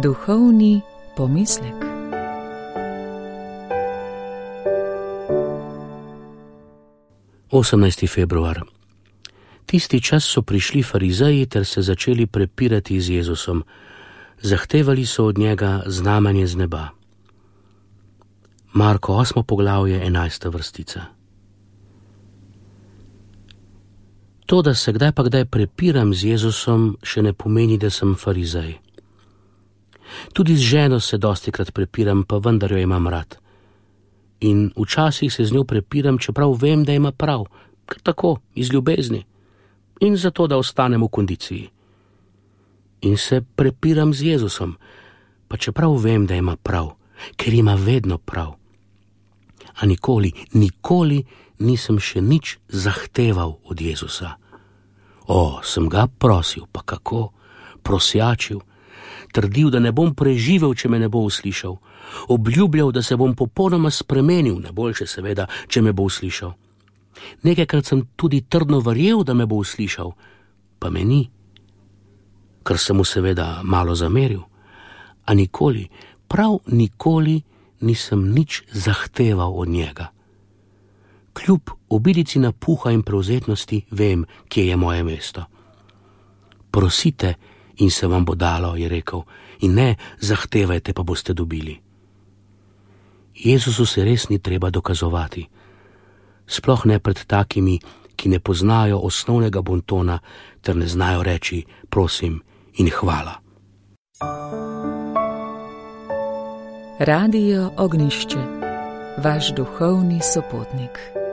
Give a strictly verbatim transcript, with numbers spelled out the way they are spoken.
Duhovni pomislek. osemnajsti februar. Tisti čas so prišli farizeji ter se začeli prepirati z Jezusom. Zahtevali so od njega znamenje z neba. Marko osmo poglavje, enajsta vrstica. To, da se kdaj pa kdaj prepiram z Jezusom, še ne pomeni, da sem farizej. Tudi z ženo se dostikrat prepiram, pa vendar jo imam rad. In včasih se z njo prepiram, čeprav vem, da ima prav, kar tako, iz ljubezni. In zato, da ostanem v kondiciji. In se prepiram z Jezusom, pa čeprav vem, da ima prav, ker ima vedno prav. A nikoli, nikoli nisem še nič zahteval od Jezusa. O, sem ga prosil, pa kako, prosjačil, trdil, da ne bom preživel, če me ne bo uslišal, obljubljal, da se bom popolnoma spremenil, najboljše seveda, če me bo uslišal. Nekajkrat sem tudi trdno verjel, da me bo uslišal, pa me ni, ker sem mu seveda malo zameril, a nikoli, prav nikoli nisem nič zahteval od njega. Kljub obilici napuha in prevzetnosti vem, kje je moje mesto. Prosite in se vam bo dalo, je rekel, in ne zahtevajte, pa boste dobili. Jezusu se res ni treba dokazovati, sploh ne pred takimi, ki ne poznajo osnovnega bontona ter ne znajo reči prosim in hvala. Radio Ognjišče, vaš duhovni sopotnik.